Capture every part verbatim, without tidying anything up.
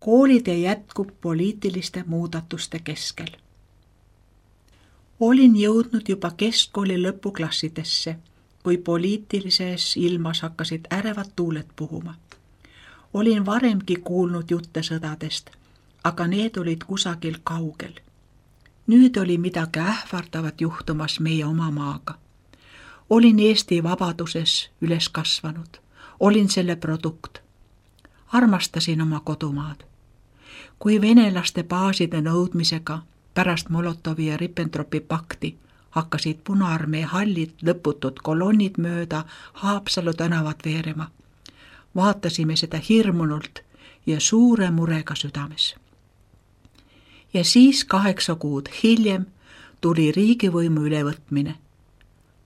Koolitee jätkub poliitiliste muudatuste keskel. Olin jõudnud juba keskkooli lõpuklassidesse, kui poliitilises ilmas hakkasid ärevad tuuled puhuma. Olin varemgi kuulnud jutte sõdadest, aga need olid kusagil kaugel. Nüüd oli midagi ähvardavat juhtumas meie oma maaga. Olin Eesti vabaduses üles kasvanud. Olin selle produkt. Armastasin oma kodumaad. Kui venelaste baaside nõudmisega pärast Molotovi ja Ribbentropi pakti hakkasid Punaarmee hallid lõputud kolonnid mööda Haapsalu tänavat veerema, vaatasime seda hirmunult ja suure murega südames. Ja siis kaheksa kuud hiljem tuli riigivõimu ülevõtmine,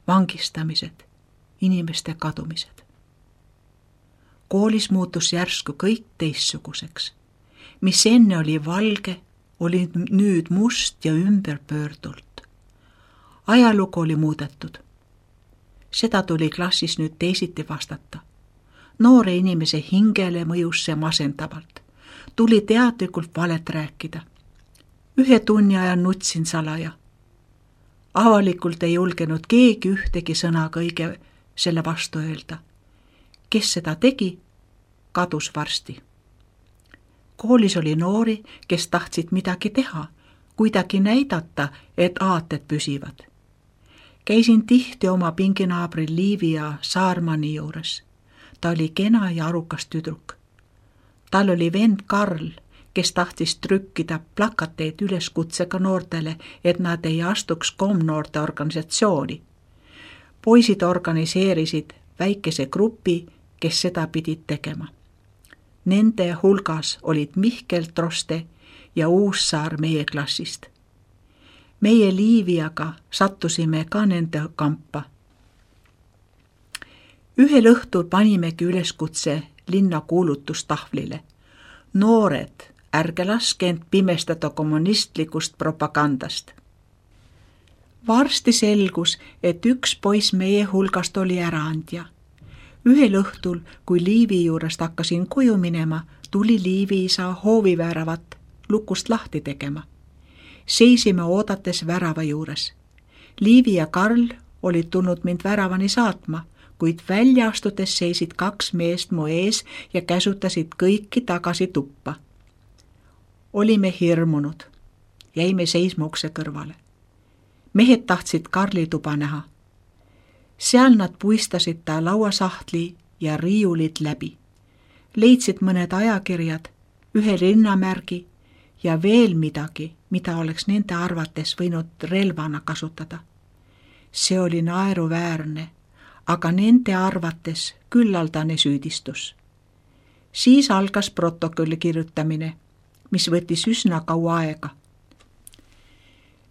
vangistamised, inimeste kadumised. Koolis muutus järsku kõik teistsuguseks. Mis enne oli valge, oli nüüd must ja ümberpöördult. Ajalugu oli muudetud. Seda tuli klassis nüüd teisiti vastata. Noore inimese hingele mõjus see masendavalt. Tuli teadlikult valet rääkida. Ühe tunni ajan nutsin salaja. Avalikult ei julgenud keegi ühtegi sõna kõige selle vastu öelda. Kes seda tegi, kadus varsti. Koolis oli noori, kes tahtsid midagi teha, kuidagi näidata, et aated püsivad. Käisin tihti oma pinginaabri Liivi ja Saarmani juures. Ta oli kena ja arukas tüdruk. Tal oli vend Karl, kes tahtis trükkida plakateid üleskutsega noortele, et nad ei astuks komnoorte organisatsiooni. Poisid organiseerisid väikese grupi, kes seda pidid tegema. Nende hulgas olid Mihkel Troste ja Uussaar meie klassist. Meie Liiviaga sattusime ka nende kampa. Ühel õhtul panimegi üleskutse linna kuulutustahvlile. Noored, ärge laske end pimestada kommunistlikust propagandast. Varsti selgus, et üks poiss meie hulgast oli äraandja. Ühel õhtul, kui Liivi juurest hakkasin koju minema, tuli Liivi isa hooviväravat lukust lahti tegema. Seisime oodates värava juures. Liivi ja Karl olid tulnud mind väravani saatma, kuid välja astudes seisid kaks meest mu ees ja käsutasid kõiki tagasi tuppa. Olime hirmunud. Jäime seisma ukse kõrvale. Mehed tahtsid Karli tuba näha. Seal nad puistasid ta lauasahtli ja riiulid läbi. Leidsid mõned ajakirjad, ühe rinnamärgi ja veel midagi, mida oleks nende arvates võinud relvana kasutada. See oli naeruväärne, aga nende arvates küllaldane süüdistus. Siis algas protokolli kirjutamine, mis võttis üsna kaua aega.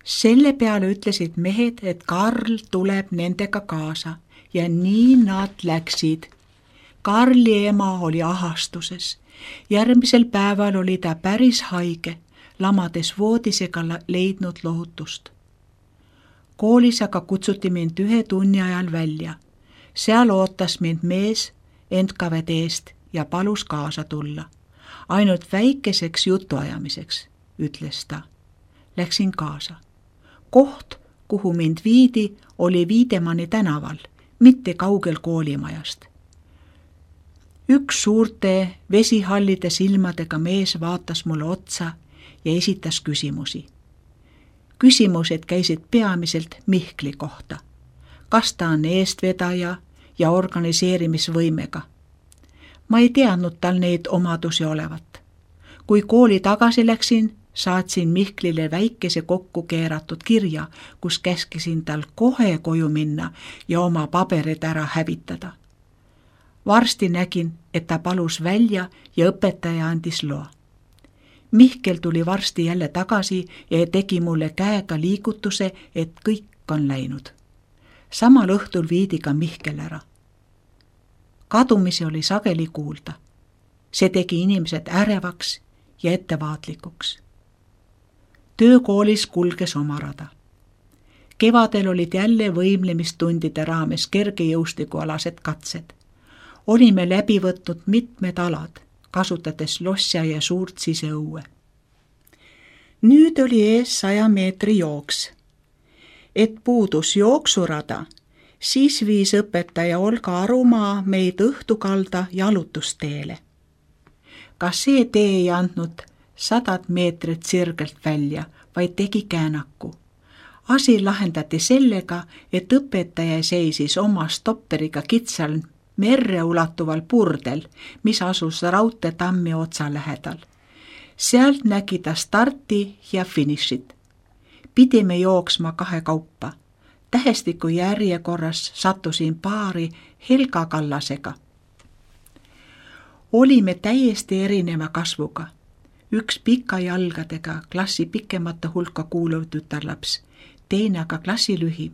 Selle peale ütlesid mehed, et Karl tuleb nendega kaasa ja nii nad läksid. Karli ema oli ahastuses. Järgmisel päeval oli ta päris haige, lamades voodis ega leidnud lohutust. Koolis aga kutsuti mind ühe tunni ajal välja. Seal ootas mind mees N K V D-st ja palus kaasa tulla. Ainult väikeseks jutuajamiseks, ütles ta. Läksin kaasa. Koht, kuhu mind viidi, oli Viidemanni tänaval, mitte kaugel koolimajast. Üks suurte vesihallide silmadega mees vaatas mulle otsa ja esitas küsimusi. Küsimused käisid peamiselt Mihkli kohta. Kas ta on eestvedaja ja organiseerimisvõimega? Ma ei teadnud tal neid omadusi olevat. Kui kooli tagasi läksin, saatsin Mihklile väikese kokku keeratud kirja, kus käskisin tal kohe koju minna ja oma paberid ära hävitada. Varsti nägin, et ta palus välja ja õpetaja andis loa. Mihkel tuli varsti jälle tagasi ja tegi mulle käega liigutuse, et kõik on läinud. Samal õhtul viidi ka Mihkel ära. Kadumisi oli sageli kuulda. See tegi inimesed ärevaks ja ettevaatlikuks. Töökoolis kulges oma rada. Kevadel olid jälle võimlemistundide raames kergejõustikualased katsed. Olime läbi võtnud mitmed alad, kasutades lossia ja suurt siseõue. Nüüd oli ees saja meetri jooks. Et puudus jooksurada, siis viis õpetaja Olga Arumaa meid õhtukalda jalutusteele. Ka see tee ei andnud sadat meetrit sirgelt välja, vaid tegi käänaku. Asi lahendati sellega, et õpetaja seisis oma stopperiga kitsal merre ulatuval purdel, mis asus raudteetammi otsa lähedal. Sealt nägi ta starti ja finišit. Pidime jooksma kahe kaupa. Tähestiku järjekorras sattusin paari Helga Kallasega. Olime täiesti erineva kasvuga. Üks pika jalgadega klassi pikemate hulka kuuluv tütarlaps, teine aga klassi lühim.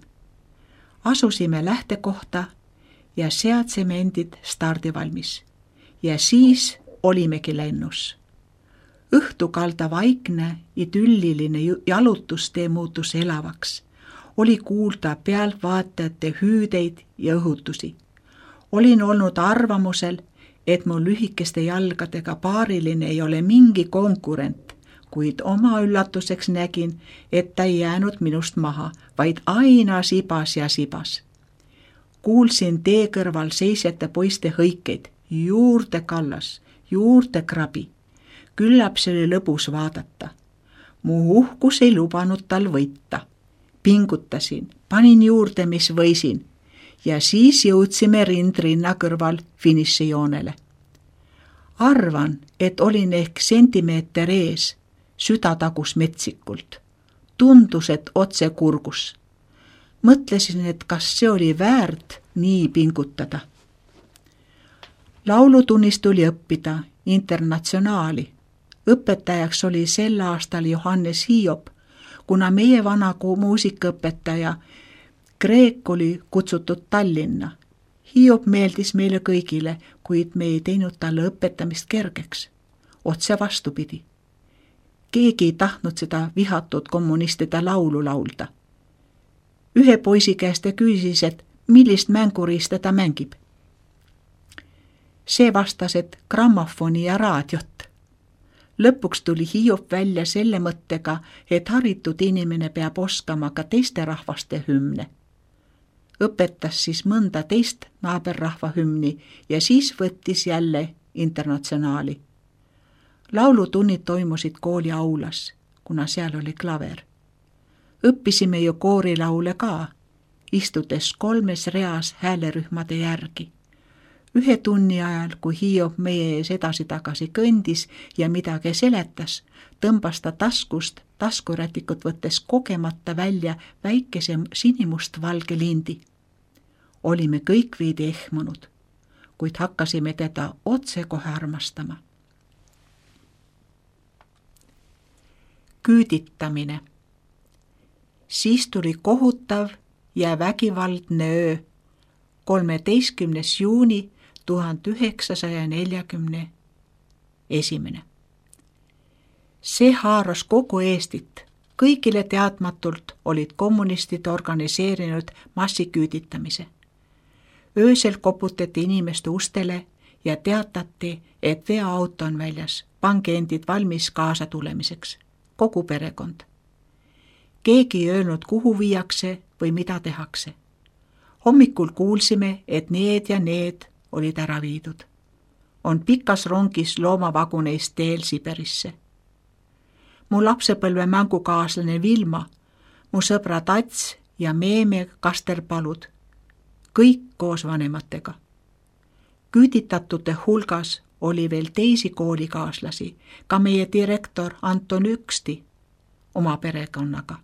Asusime lähtekohta ja seadsime endid stardivalmis. Ja siis olimegi lennus. Õhtukalda vaikne, idülliline jalutustee muutus elavaks. Oli kuulda pealtvaatajate hüüdeid ja õhutusi. Olin olnud arvamusel, et mu lühikeste jalgadega paariline ei ole mingi konkurent, kuid oma üllatuseks nägin, et ta ei jäänud minust maha, vaid aina sibas ja sibas. Kuulsin tee kõrval seisjate poiste hõikeid, juurde Kallas, juurde krabi. Küllap see oli lõbus vaadata. Mu uhkus ei lubanud tal võita. Pingutasin, panin juurde, mis võisin, ja siis jõudsime rindrinna kõrval finišijoonele. Arvan, et olin ehk sentimeeter ees, süda tagus metsikult. Tundus, et otse kurgus. Mõtlesin, et kas see oli väärt nii pingutada. Laulutunnist tuli õppida internatsionaali. Õpetajaks oli sel aastal Johannes Hiob, kuna meie vana muusikaõpetaja Kreek oli kutsutud Tallinna. Hiob meeldis meile kõigile, kuid me ei teinud talle õpetamist kergeks. Otse vastupidi. Keegi ei tahtnud seda vihatud kommunistide laulu laulda. Ühe poisi käest küsis, et millist mänguriista ta mängib. See vastas, et grammofoni ja raadiot. Lõpuks tuli Hiob välja selle mõttega, et haritud inimene peab oskama ka teiste rahvaste hümne. Õpetas siis mõnda teist naaberrahva hümni ja siis võttis jälle internatsionaali. Laulutunnid toimusid kooli aulas, kuna seal oli klaver. Õppisime ju koorilaule ka, istudes kolmes reas häälerühmade järgi. Ühe tunni ajal, kui Hiob meie ees edasi-tagasi kõndis ja midagi seletas, tõmbas ta taskust taskurätikut võttes kogemata välja väikese sinimust-valge lindi. Olime kõik veidi ehmunud, kuid hakkasime teda otsekohe armastama. Küüditamine. Siis tuli kohutav ja vägivaldne öö, kolmeteistkümnes juuni tuhande üheksasaja neljakümne esimene. See haaras kogu Eestit. Kõigile teadmatult olid kommunistid organiseerinud massiküüditamise. Öösel koputati inimeste ustele ja teatati, et veoauto on väljas, pange endid valmis kaasa tulemiseks. Kogu perekond. Keegi ei öelnud, kuhu viiakse või mida tehakse. Hommikul kuulsime, et need ja need olid ära viidud. On pikas rongis loomavaguneist teel Siberisse. Mu lapsepõlve mängukaaslane Vilma, mu sõbrad Ats ja Meeme Kasterpalud, kõik koos vanematega. Küüditatute hulgas oli veel teisi koolikaaslasi, ka meie direktor Anton Üksti oma perekonnaga.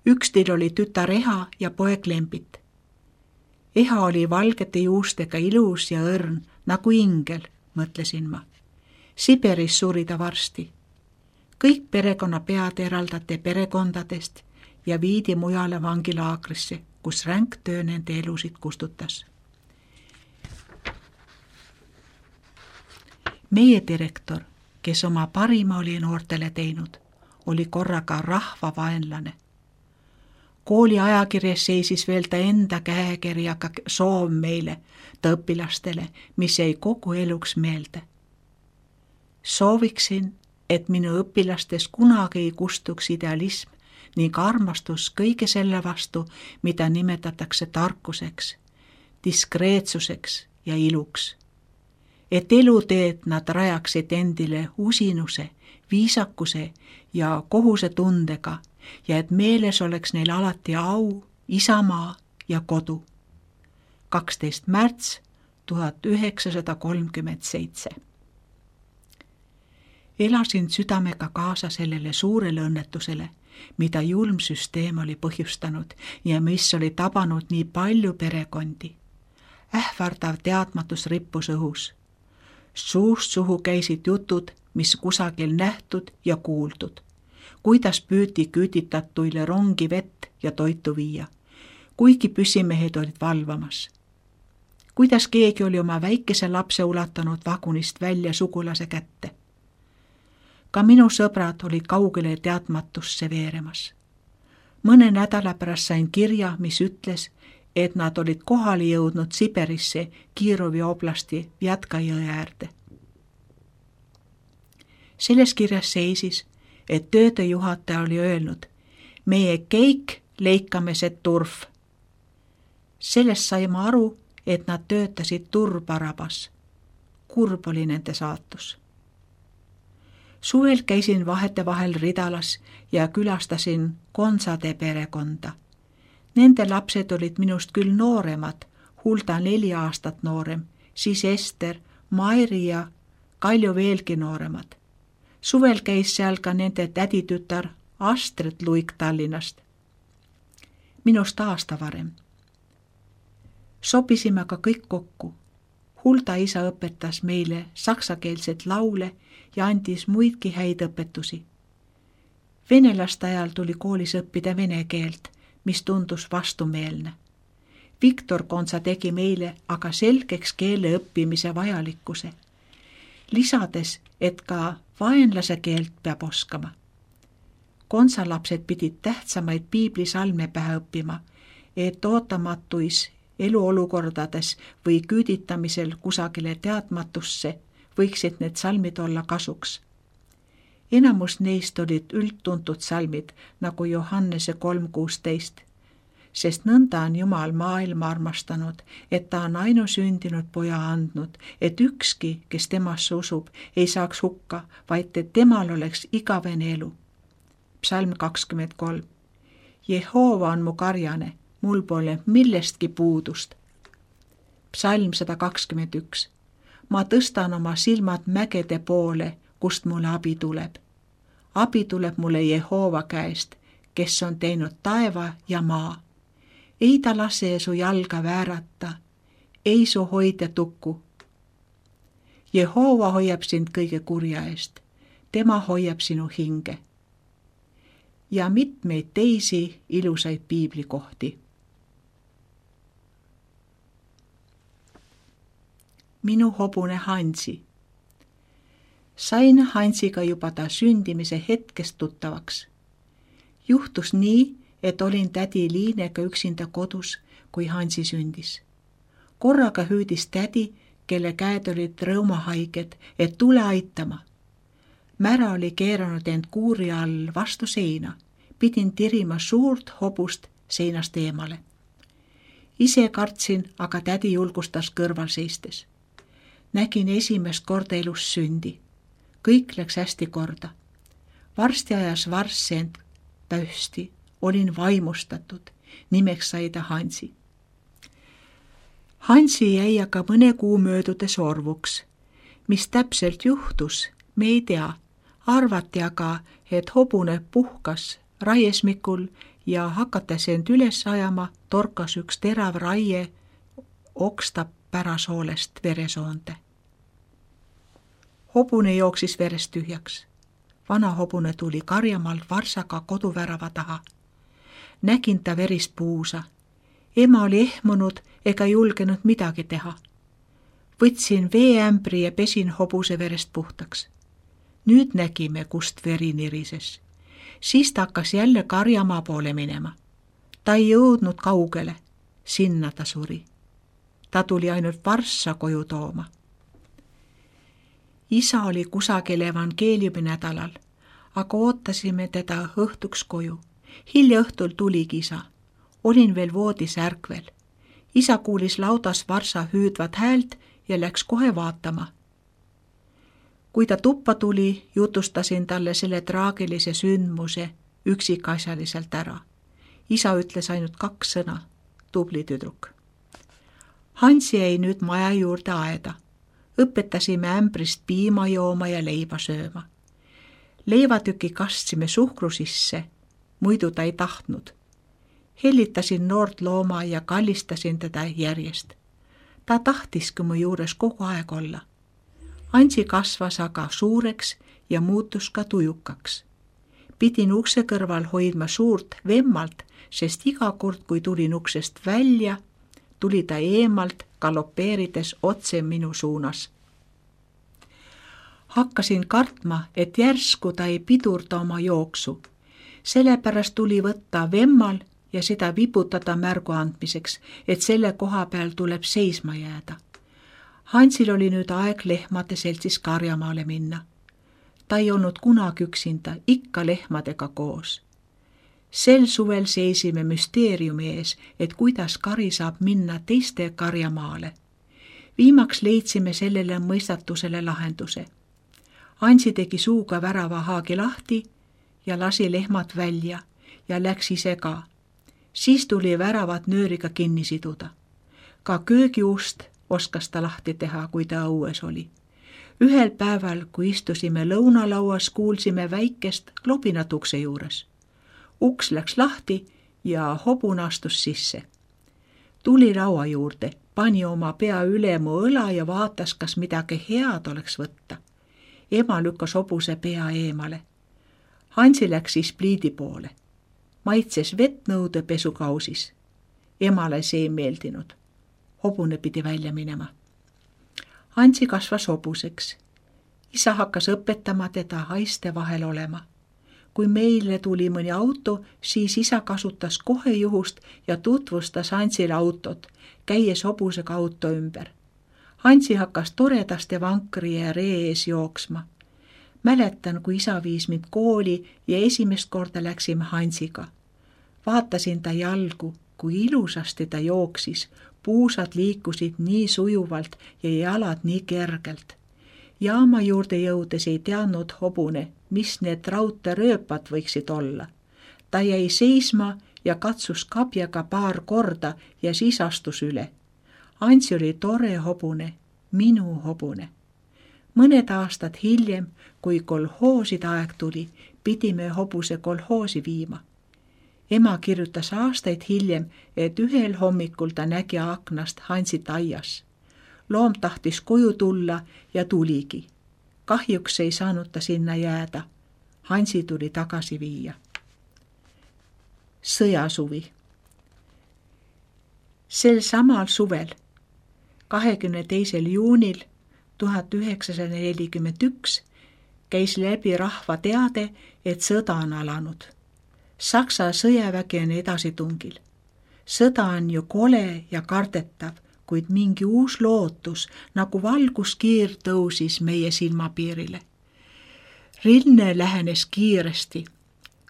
Ükstil oli tütar Eha ja poeg Lembit. Eha oli valgete juustega ilus ja õrn, nagu ingel, mõtlesin ma. Siberis suri ta varsti. Kõik perekonna pead eraldati perekondadest ja viidi mujale vangilaagrisse, kus ränk töö nende elusid kustutas. Meie direktor, kes oma parima oli noortele teinud, oli korraga rahvavaenlane. Kooli ajakirjas seisis veel ta enda käekirjaga soov meile, ta õpilastele, mis jäi kogu eluks meelde. Sooviksin, et minu õpilastes kunagi ei kustuks idealism ning armastus kõige selle vastu, mida nimetatakse tarkuseks, diskreetsuseks ja iluks. Et eluteed nad rajaksid endile usinuse, viisakuse ja kohusetundega ja et meeles oleks neil alati au, isamaa ja kodu. kaksteist märts tuhat üheksasada kolmkümmend seitse. Elasin südamega kaasa sellele suurele õnnetusele, mida julm süsteem oli põhjustanud ja mis oli tabanud nii palju perekondi. Ähvardav teadmatus rippus õhus. Suust suhu käisid jutud, mis kusagil nähtud ja kuuldud. Kuidas püüti küüditatuile rongi vett ja toitu viia, kuigi püssimehed olid valvamas. Kuidas keegi oli oma väikese lapse ulatanud vagunist välja sugulase kätte. Ka minu sõbrad olid kaugele teadmatusse veeremas. Mõne nädala pärast sain kirja, mis ütles, et nad olid kohale jõudnud Siberisse Kirovi oblasti Vjatka-jõe äärde. Selles kirjas seisis, et töödejuhataja oli öelnud, meie keik leikame see turf. Sellest saime aru, et nad töötasid turbarabas. Kurb oli nende saatus. Suvel käisin vahetevahel Ridalas ja külastasin Konsade perekonda. Nende lapsed olid minust küll nooremad, Hulda neli aastat noorem, siis Ester, Mairi ja Kalju veelgi nooremad. Suvel käis seal ka nende täditütar Astrid Luik Tallinnast. Minust aasta varem. Sopisime ka kõik kokku. Hulda isa õpetas meile saksakeelset laule ja andis muidki häid õpetusi. Venelaste ajal tuli koolis õppida vene keelt, mis tundus vastumeelne. Viktor Konsa tegi meile aga selgeks keele õppimise vajalikkuse, lisades, et ka vaenlase keelt peab oskama. Konsa lapsed pidid tähtsamaid piiblisalme pähe õppima, et ootamatuis eluolukordades või küüditamisel kusagile teadmatusse võiksid need salmid olla kasuks. Enamus neist olid üldtuntud salmid, nagu Johannese kolm kuusteist, sest nõnda on Jumal maailma armastanud, et ta on ainusündinud poja andnud, et ükski, kes temasse usub, ei saaks hukka, vaid et temal oleks igavene elu. Psalm kakskümmend kolm. Jehova on mu karjane, mul pole millestki puudust. Psalm sada kakskümmend üks. Ma tõstan oma silmad mägede poole, kust mulle abi tuleb. Abi tuleb mulle Jehova käest, kes on teinud taeva ja maa. Ei ta lase su jalga väärata, ei su hoidja tukku. Jehova hoiab sind kõige kurja eest, tema hoiab sinu hinge. Ja mitmeid teisi ilusaid piiblikohti. Minu hobune Hansi. Sain Hansiga juba ta sündimise hetkest tuttavaks. Juhtus nii, et olin tädi Liinega üksinda kodus, kui Hansi sündis. Korraga hüüdis tädi, kelle käed olid rõumahaiged, et tule aitama. Mära oli keeranud end kuuri all vastu seina. Pidin tirima suurt hobust seinast eemale. Ise kartsin, aga tädi julgustas kõrval seistes. Nägin esimest korda elus sündi. Kõik läks hästi korda. Varsti ajas varss end pöösti. Olin vaimustatud. Nimeks sai ta Hansi. Hansi jäi aga mõne kuu möödudes orvuks. Mis täpselt juhtus, me ei tea. Arvati aga, et hobune puhkas raiesmikul ja hakates end üles ajama, torkas üks terav raie oksta pärasoolest veresoonde. Hobune jooksis verest tühjaks. Vana hobune tuli karjamaalt varsaga koduvärava taha. Nägin ta verist puusa. Ema oli ehmunud ega julgenud midagi teha. Võtsin veeämbri ja pesin hobuse verest puhtaks. Nüüd nägime, kust veri nirises. Siis ta hakkas jälle karjamaa poole minema. Ta ei jõudnud kaugele. Sinna ta suri. Ta tuli ainult varssa koju tooma. Isa oli kusagil evangeeliuminädalal, aga ootasime teda õhtuks koju. Hilja õhtul tuligi isa. Olin veel voodis ärkvel. Isa kuulis laudas varsa hüüdvat häält ja läks kohe vaatama. Kui ta tuppa tuli, jutustasin talle selle traagilise sündmuse üksikasjaliselt ära. Isa ütles ainult kaks sõna, tubli tüdruk. Hansi jäi nüüd maja juurde aeda. Õpetasime ämbrist piima jooma ja leiva sööma. Leivatüki kastsime suhkru sisse, muidu ta ei tahtnud. Hellitasin noort looma ja kallistasin teda järjest. Ta tahtiski mu juures kogu aeg olla. Hansi kasvas aga suureks ja muutus ka tujukaks. Pidin ukse kõrval hoidma suurt vemmalt, sest iga kord, kui tulin uksest välja, tuli ta eemalt galopeerides otse minu suunas. Hakkasin kartma, et järsku ta ei pidurda oma jooksu. Sellepärast tuli võtta vemmal ja seda vibutada märgu andmiseks, et selle koha peal tuleb seisma jääda. Hansil oli nüüd aeg lehmade seltsis karjamaale minna. Ta ei olnud kunagi üksinda, ikka lehmadega koos. Sel suvel seisime müsteeriumi ees, et kuidas kari saab minna teiste karjamaale. Viimaks leidsime sellele mõistatusele lahenduse. Hansi tegi suuga värava haagi lahti ja lasi lehmad välja ja läks ise ka. Siis tuli väravat nööriga kinni siduda. Ka köögiust oskas ta lahti teha, kui ta õues oli. Ühel päeval, kui istusime lõunalauas, kuulsime väikest klopinat ukse juures. Uks läks lahti ja hobun astus sisse. Tuli laua juurde, pani oma pea üle mu õla ja vaatas, kas midagi head oleks võtta. Ema lükkas hobuse pea eemale. Hansi läks siis pliidi poole. Maitses vettnõude pesukausis. Emale see ei meeldinud. Hobune pidi välja minema. Hansi kasvas hobuseks. Isa hakkas õpetama teda haiste vahel olema. Kui meile tuli mõni auto, siis isa kasutas kohe juhust ja tutvustas Hansile autot, käies hobusega auto ümber. Hansi hakkas toredaste vankri ja ree ees jooksma. Mäletan, kui isa viis mind kooli ja esimest korda läksime Hansiga. Vaatasin ta jalgu, kui ilusasti ta jooksis. Puusad liikusid nii sujuvalt ja jalad nii kergelt. Jaama juurde jõudes ei teadnud hobune, mis need raudteerööpad võiksid olla. Ta jäi seisma ja katsus kabjaga paar korda ja siis astus üle. Hansi oli tore hobune, minu hobune. Mõned aastad hiljem, kui kolhooside aeg tuli, pidime hobuse kolhoosi viima. Ema kirjutas aastaid hiljem, et ühel hommikul ta nägi aknast Hansit aias. Loom tahtis koju tulla ja tuligi. Kahjuks ei saanud ta sinna jääda. Hansi tuli tagasi viia. Sõjasuvi. Sel samal suvel, kahekümne teisel juunil tuhat üheksasada nelikümmend üks, käis läbi rahva teade, et sõda on alanud. Saksa sõjavägi on edasitungil. Sõda on ju kole ja kardetav, kuid mingi uus lootus, nagu valguskiir tõusis meie silmapiirile. Rinne lähenes kiiresti.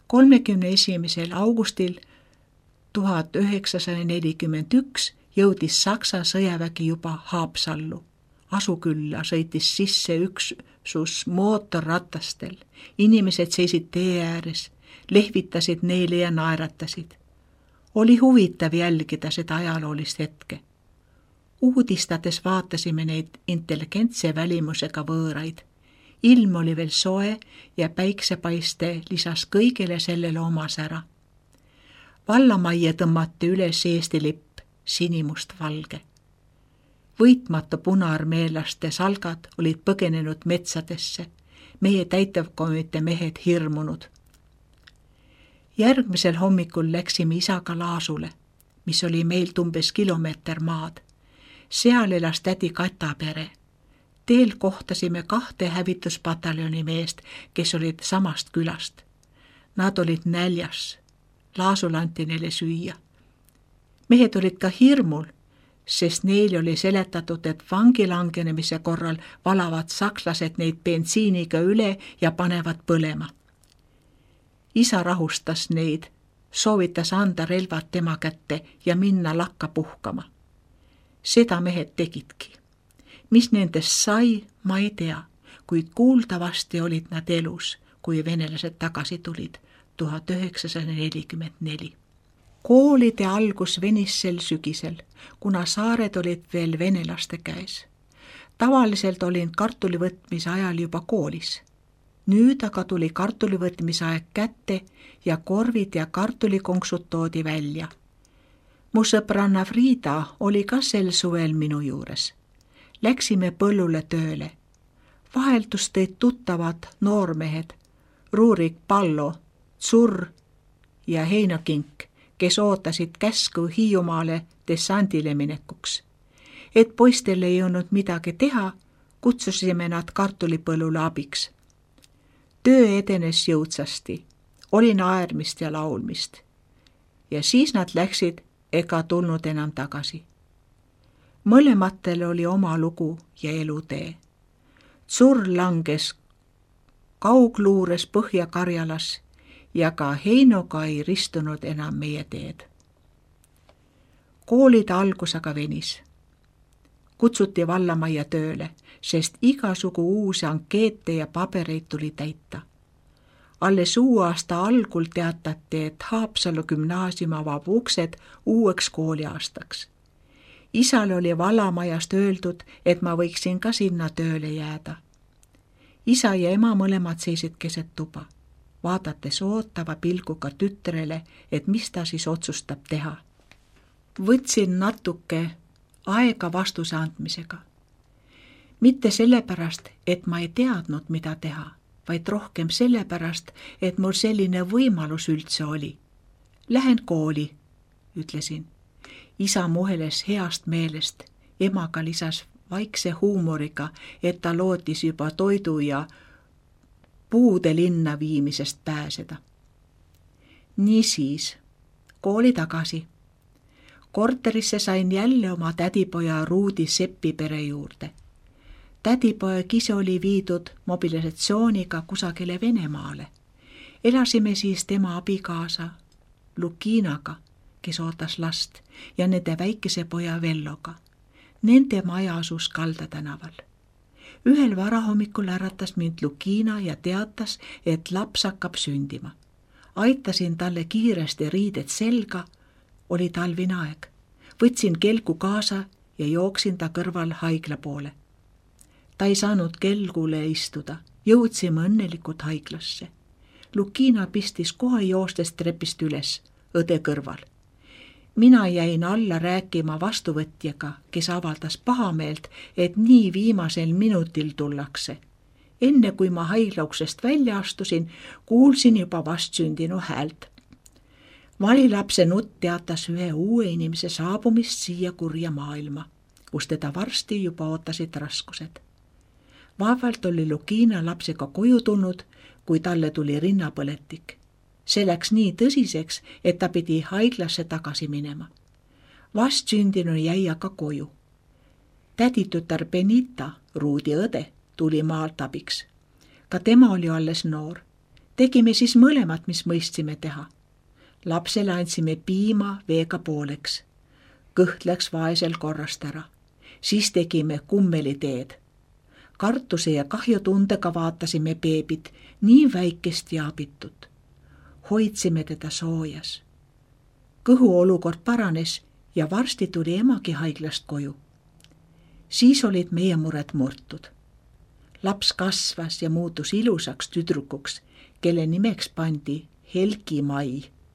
kolmekümne esimesel augustil tuhat üheksasada nelikümmend üks jõudis Saksa sõjavägi juba Haapsallu. Asukülla sõitis sisse üksus mootorratastel. Inimesed seisid tee ääres. Lehvitasid neile ja naeratasid. Oli huvitav jälgida seda ajaloolist hetke. Uudistades vaatasime neid intelligentse välimusega võõraid. Ilm oli veel soe ja päiksepaiste lisas kõigile sellele oma sära. Vallamajja tõmmati üles Eesti lipp, sinimust valge. Võitmata punaarmeelaste salgad olid põgenenud metsadesse, meie täitevkomitee mehed hirmunud. Järgmisel hommikul läksime isaga Laasule, mis oli meilt umbes kilomeeter maad. Seal elas tädi Kata pere. Teel kohtasime kahte hävituspataljoni meest, kes olid samast külast. Nad olid näljas. Laasul anti neile süüa. Mehed olid ka hirmul, sest neil oli seletatud, et vangi langenemise korral valavad sakslased neid bensiiniga üle ja panevad põlema. Isa rahustas neid, soovitas anda relvad tema kätte ja minna lakka puhkama. Seda mehed tegidki. Mis nendest sai, ma ei tea, kuid kuuldavasti olid nad elus, kui venelased tagasi tulid tuhat üheksasada nelikümmend neli. Koolide algus venis sel sügisel, kuna saared olid veel venelaste käes. Tavaliselt olin kartulivõtmise ajal juba koolis. Nüüd aga tuli kartulivõtmise aeg kätte ja korvid ja kartulikonksud toodi välja. Mu sõbranna Frida oli ka sel suvel minu juures. Läksime põllule tööle. Vaheldus tõid tuttavad noormehed, Ruurik Pallo, Tsurr ja Heino Kink, kes ootasid käsku Hiiumaale dessandile minekuks. Et poistel ei olnud midagi teha, kutsusime nad kartulipõllule abiks. Töö edenes jõudsasti, oli naermist ja laulmist. Ja siis nad läksid ega tulnud enam tagasi. Mõlematel oli oma lugu ja elutee. Tsurr langes kaugluures Põhja-Karjalas ja ka Heinoga ei ristunud enam meie teed. Koolide algus aga venis. Kutsuti vallamajja tööle, sest igasugu uusi ankeete ja pabereid tuli täita. Alles uue aasta algul teatati, et Haapsalu gümnaasium avab uksed uueks kooliaastaks. Isal oli vallamajast öeldud, et ma võiksin ka sinna tööle jääda. Isa ja ema mõlemad seisid keset tuba, vaadates ootava pilguga tütrele, et mis ta siis otsustab teha. Võtsin natuke aega vastuse andmisega. Mitte sellepärast, et ma ei teadnud, mida teha, vaid rohkem sellepärast, et mul selline võimalus üldse oli. Lähen kooli, ütlesin. Isa muheles heast meelest, emaga lisas vaikse huumoriga, et ta lootis juba toidu ja puude linna viimisest pääseda. Niisiis, kooli tagasi. Korterisse sain jälle oma tädipoja Ruudi Seppi pere juurde. Tädipoeg ise oli viidud mobilisatsiooniga kusagile Venemaale. Elasime siis tema abikaasa Lukinaga, kes ootas last, ja nende väikese poja Velloga. Nende maja asus Kalda tänaval. Ühel varahommikul äratas mind Lukina ja teatas, et laps hakkab sündima. Aitasin talle kiiresti riided selga, oli talvine aeg. Võtsin kelgu kaasa ja jooksin ta kõrval haigla poole. Ta ei saanud kelgule istuda, jõudsime õnnelikult haiglasse. Lukina pistis kohe joostes trepist üles, õde kõrval. Mina jäin alla rääkima vastuvõtjaga, kes avaldas pahameelt, et nii viimasel minutil tullakse. Enne kui ma haiglauksest välja astusin, kuulsin juba vastsündinu häält. Valilapse nutt teatas ühe uue inimese saabumist siia kurja maailma, kus teda varsti juba ootasid raskused. Vaevalt oli Lukina lapsega koju tulnud, kui talle tuli rinnapõletik. See läks nii tõsiseks, et ta pidi haiglasse tagasi minema. Vastsündinu jäi aga koju. Täditütar Benita, Ruudi õde, tuli maalt abiks. Ka tema oli alles noor. Tegime siis mõlemad, mis mõistsime teha. Lapsele andsime piima veega pooleks. Kõht läks vaesel korrast ära. Siis tegime kummeliteed. Kartuse ja kahjutundega vaatasime beebit, nii väikest ja abitut. Hoidsime teda soojas. Kõhu olukord paranes ja varsti tuli emagi haiglast koju. Siis olid meie mured murtud. Laps kasvas ja muutus ilusaks tüdrukuks, kelle nimeks pandi Helgi Mai.